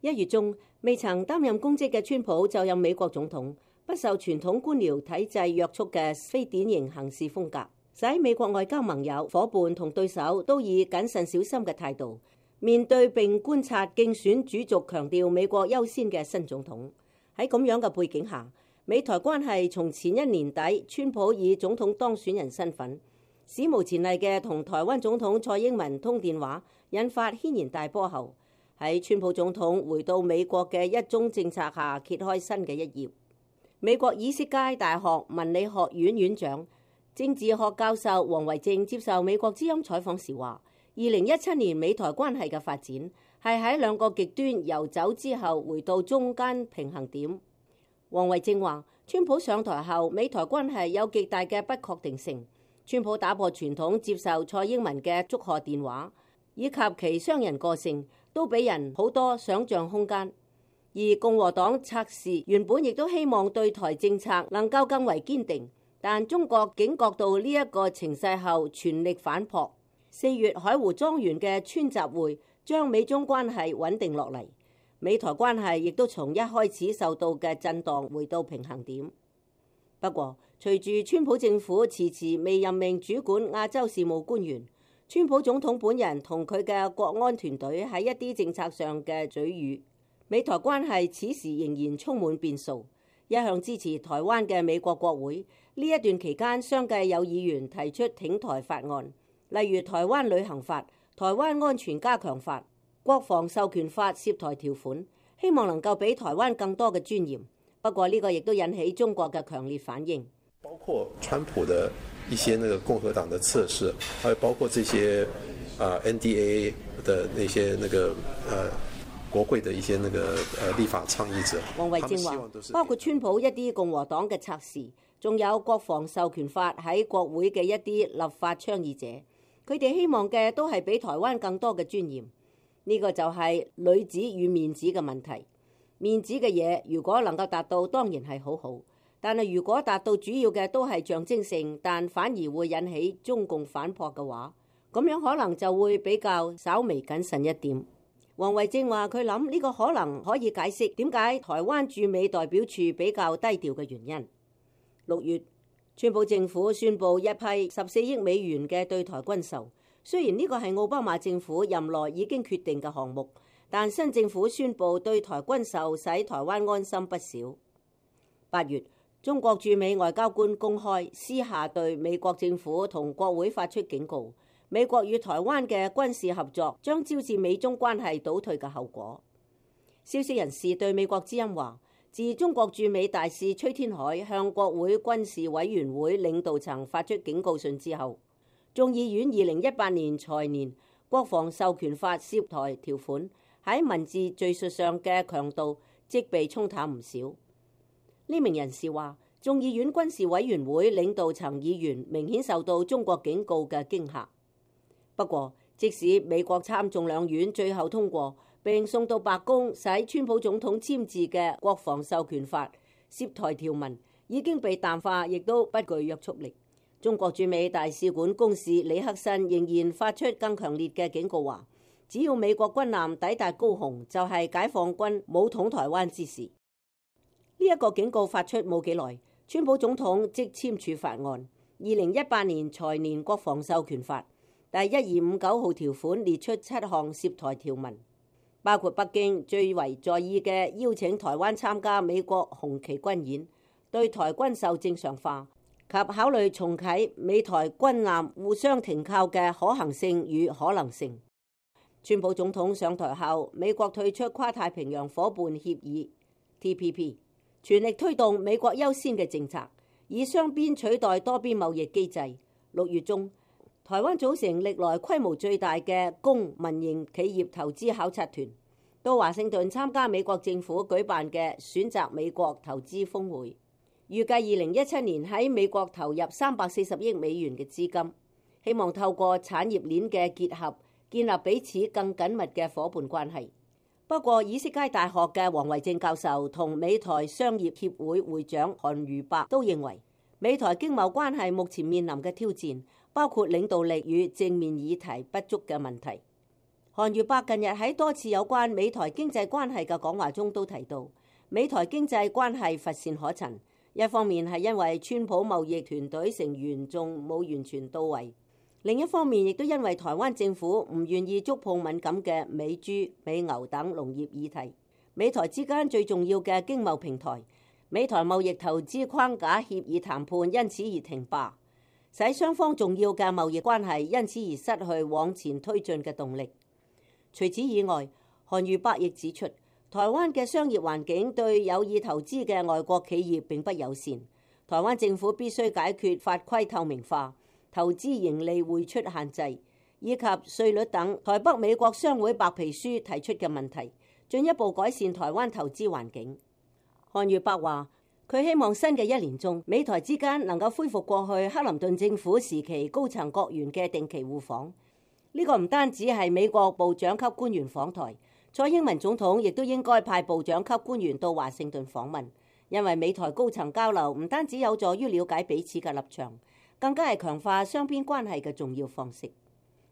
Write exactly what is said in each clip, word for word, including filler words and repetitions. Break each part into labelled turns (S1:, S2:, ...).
S1: 一月中，未曾擔任公職嘅川普就任美國總統，不受傳統官僚體制約束嘅非典型行事風格，使美國外交盟友、夥伴同對手都以謹慎小心嘅態度面對並觀察競選主軸強調美國優先嘅新總統。喺咁樣嘅背景下，美台關係從前一年底川普以總統當選人身份史無前例嘅同台灣總統蔡英文通電話，引發軒然大波後，喺川普總統回到美國嘅一中政策下揭開新嘅一頁。美國以色列大學文理學院院長、政治學教授王維正接受美國之音採訪時話，二零一七年美台關係嘅發展係喺兩個極端遊走之後回到中間平衡點。王維正話，川普上台後，美台關係有極大嘅不確定性。川普打破傳統接受蔡英文嘅祝賀電話，以及其商人個性，都俾人好多想像空間。而共和黨策士原本亦都希望對台政策能夠更為堅定，但中國警覺到呢一個情勢後，全力反撲。四月海湖莊園嘅川習會將美中關係穩定落嚟，美台關係亦都從一開始受到嘅震盪回到平衡點。不過，隨住川普政府遲遲未任命主管亞洲事務官員，川普總統本人同佢嘅國安團隊喺一啲政策上嘅嘴語，美台關係此時仍然充滿變數。一向支持台灣嘅美國國會呢一段期間，相繼有議員提出挺台法案，例如台灣旅行法、台灣安全加強法、國防授權法涉台條款，希望能夠俾台灣更多嘅尊嚴。不過呢個亦都引起中國嘅強烈反應，
S2: 包括川普的一些那個共和黨的測試，還有包括這些啊 N D A A 的那些那個呃國會的一些那個呃立法倡議者。
S1: 王維正話，包括川普一啲共和黨嘅測試，仲有國防授權法喺國會嘅一啲立法倡議者，佢哋希望嘅都係俾台灣更多嘅尊嚴。呢個就係裏子與面子嘅問題。面子嘅嘢如果能夠達到，當然係好好，但係如果達到主要嘅都係象徵性，但反而會引起中共反撲嘅話，咁樣可能就會比較稍微謹慎一點。王維正話，佢諗呢個可能可以解釋點解台灣駐美代表處比較低調嘅原因。六月，川普政府宣布一批十四億美元嘅對台軍售，雖然呢個係奧巴馬政府任內已經決定嘅項目，但新政府宣布對台軍售，使台灣安心不少。八月，中國駐美外交官公開私下對美國政府同國會發出警告，美國與台灣嘅軍事合作將招致美中關係倒退嘅後果。消息人士對美國之音話，自中國駐美大使崔天凱向國會軍事委員會領導層發出警告信之後，眾議院二零一八年財年國防授權法涉台條款喺文字敘述上嘅強度即被沖淡唔少。呢名人士話，眾議院軍事委員會領導層議員明顯受到中國警告嘅驚嚇。不過，即使美國參眾兩院最後通過並送到白宮使川普總統簽字嘅國防授權法涉台條文已經被淡化，亦都不具約束力。中國駐美大使館公使李克慎仍然發出更強烈嘅警告，話只要美國軍艦抵達高雄，就係解放軍武統台灣之時。呢一個警告發出冇幾耐，川普總統即簽署法案，二零一八年財年國防授權法第一二五九號條款列出七項涉台條文，包括北京最為在意嘅邀請台灣參加美國紅旗軍演、對台軍售正常化及考慮重啟美台軍艦互相停靠嘅可行性與可能性。川普總統上台後，美國退出跨太平洋夥伴協議 T P P， 全力推動美國優先嘅政策，以雙邊取代多邊貿易機制。六月中，台灣組成歷來規模最大嘅公民營企業投資考察團，到華盛頓參加美國政府舉辦嘅選擇美國投資峰會。預計二零一七年喺美國投入三百四十億美元嘅資金，希望透過產業鏈嘅結合，建立彼此更緊密嘅夥伴關係。不過，以色列大學嘅王維正教授同美台商業協會會長韓如伯都認為，美台經貿關係目前面臨嘅挑戰，包括領導力與正面議題不足嘅問題。韓愈伯近日喺多次有關美台經濟關係嘅講話中都提到，美台經濟關係乏善可陳。一方面係因為川普貿易團隊成員仲冇完全到位，另一方面亦都因為台灣政府唔願意觸碰敏感嘅美豬、美牛等農業議題。美台之間最重要嘅經貿平台，美台貿易投資框架協議談判因此而停罷，使雙方重要嘅貿易關係因此而失去往前推進嘅動力。除此以外，韓愈伯亦指出，台灣嘅商業環境對有意投資嘅外國企業並不友善。台灣政府必須解決法規透明化、投資盈利匯出限制以及稅率等台北美國商會白皮書提出嘅問題，進一步改善台灣投資環境。韓愈伯話，佢希望新嘅一年中，美台之間能夠恢復過去克林頓政府時期高層閣員嘅定期互訪。呢個唔單止係美國部長級官員訪台，蔡英文總統亦都應該派部長級官員到華盛頓訪問，因為美台高層交流唔單止有助於了解彼此嘅立場，更加係強化雙邊關係嘅重要方式。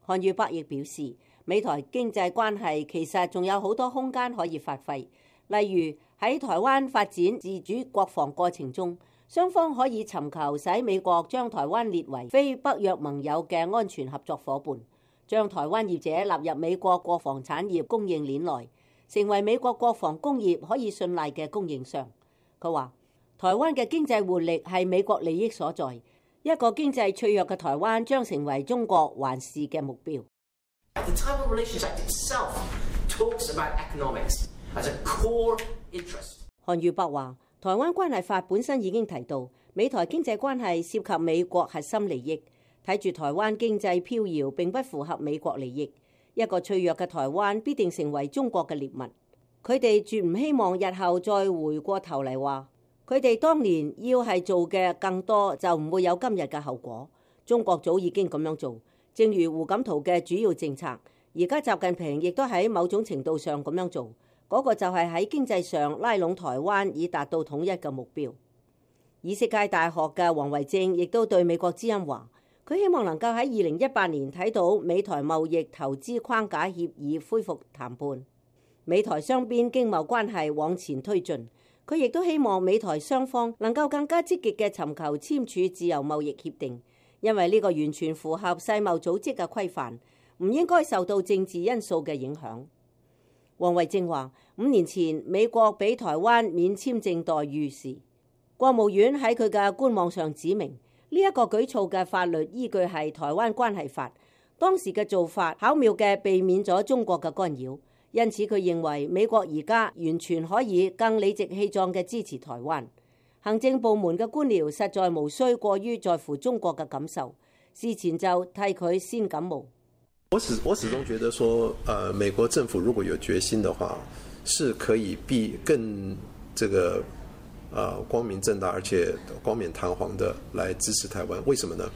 S1: 韓愈伯亦表示，美台經濟關係其實仲有好多空間可以發揮，例如喺台灣發展自主國防過程中，雙方可以尋求使美國將台灣列為非北約盟友嘅安全合作夥伴，將台灣業者納入美國國防產業供應鏈內，成為美國國防工業可以信賴嘅供應商。佢話，台灣嘅經濟活力係美國利益所在，一個經濟脆弱嘅台灣將成為中國環視嘅目標。
S3: The Taiwan Relations Act itself talks about economics as a core interest.
S1: 韓愈伯話，台灣關係法本身已經提到，美台經濟關係涉及美國核心利益。睇住台灣經濟飄搖並不符合美國利益，一個脆弱嘅台灣必定成為中國嘅獵物。佢哋絕唔希望日後再回過頭嚟話，佢哋當年要係做嘅更多，就唔會有今日嘅後果。中國早已經咁樣做，正如胡錦濤嘅主要政策，而家習近平亦都喺某種程度上咁樣做，嗰、那個就係喺經濟上拉攏台灣以達到統一嘅目標。以色列大學嘅王維正亦都對美國之音話，佢希望能夠喺二零一八年睇到美台貿易投資框架協議恢復談判，美台雙邊經貿關係往前推進。佢亦都希望美台雙方能夠更加積極嘅尋求簽署自由貿易協定，因為呢個完全符合世貿組織嘅規範，唔應該受到政治因素嘅影響。王維正話，五年前美國俾台灣免簽證待遇時，國務院喺佢嘅官網上指明，呢一個舉措嘅法律依據係台灣關係法，當時嘅做法巧妙嘅避免咗中國嘅干擾，因此佢認為美國而家完全可以更理直氣壯嘅支持台灣。行政部門嘅官僚實在無需過於在乎中國嘅感受，事前就替佢先感冒。
S2: 我始我始終覺得說，呃，美國政府如果有決心的話，是可以必更這個。呃，光明正大而且光冕堂皇的來支持台灣，為什麼呢？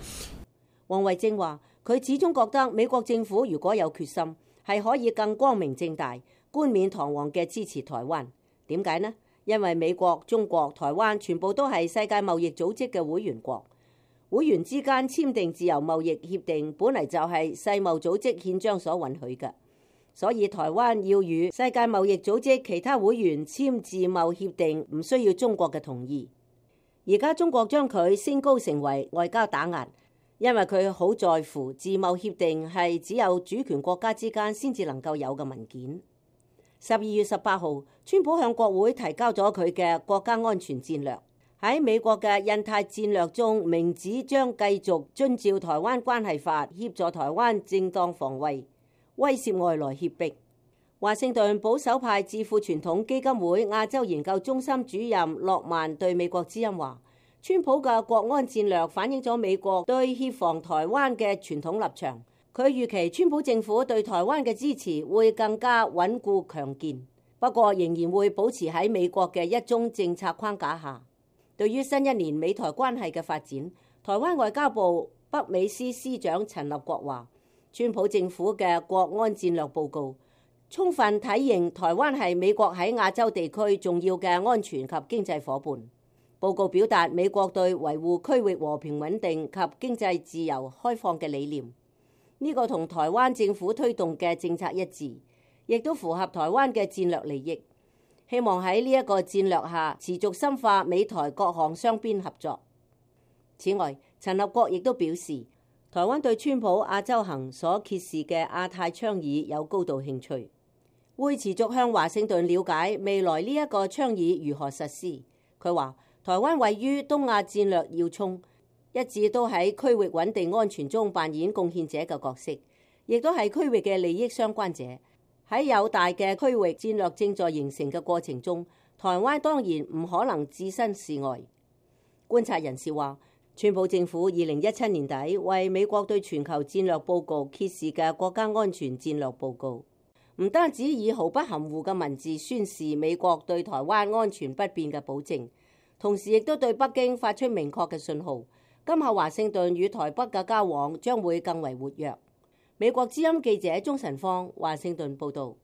S1: 王維正話，佢始終覺得美國政府如果有決心，係可以更光明正大、冠冕堂皇嘅支持台灣。點解呢？因為美國、中國、台灣全部都係世界貿易組織嘅會員國，會員之間簽訂自由貿易協定，本嚟就係世貿組織憲章所允許嘅。所以台灣要與世界貿易組織其他會員簽自貿協定，唔需要中國嘅同意。而家中國將佢升高成為外交打壓，因為佢好在乎自貿協定係只有主權國家之間先至能夠有嘅文件。十二月十八號，川普向國會提交咗佢嘅國家安全戰略，喺美國嘅印太戰略中明指將繼續遵照台灣關係法協助台灣正當防衛，威懾外來脅迫。華盛頓保守派智庫傳統基金會亞洲研究中心主任諾曼對美國之音話，川普嘅國安戰略反映咗美國對協防台灣嘅傳統立場。佢預期川普政府對台灣嘅支持會更加穩固強健，不過仍然會保持喺美國嘅一中政策框架下。對於新一年美台關係嘅發展，台灣外交部北美司司長陳立國話，川普政府嘅國安戰略報告充分體認台灣係美國喺亞洲地區重要嘅安全及經濟夥伴。報告表達美國對維護區域和平穩定及經濟自由開放嘅理念。呢個同台灣政府推動嘅政策一致，亦都符合台灣嘅戰略利益。希望喺呢一個戰略下持續深化美台各項雙邊合作。此外，陳立國亦都表示，台灣對川普亞洲行所揭示嘅亞太倡議有高度興趣，會持續向華盛頓了解未來呢一個倡議如何實施。佢話，台灣位於東亞戰略要衝，一直都喺區域穩定安全中扮演貢獻者嘅角色，亦都係區域嘅利益相關者。喺有大嘅區域戰略正在形成嘅過程中，台灣當然唔可能置身事外。觀察人士話，川普政府二零一七年底為美國對全球戰略報告揭示嘅國家安全戰略報告，唔單止以毫不含糊嘅文字宣示美國對台灣安全不變嘅保證，同時亦都對北京發出明確嘅信號，今後華盛頓與台北嘅交往將會更為活躍。美國之音記者鍾晨芳華盛頓報導。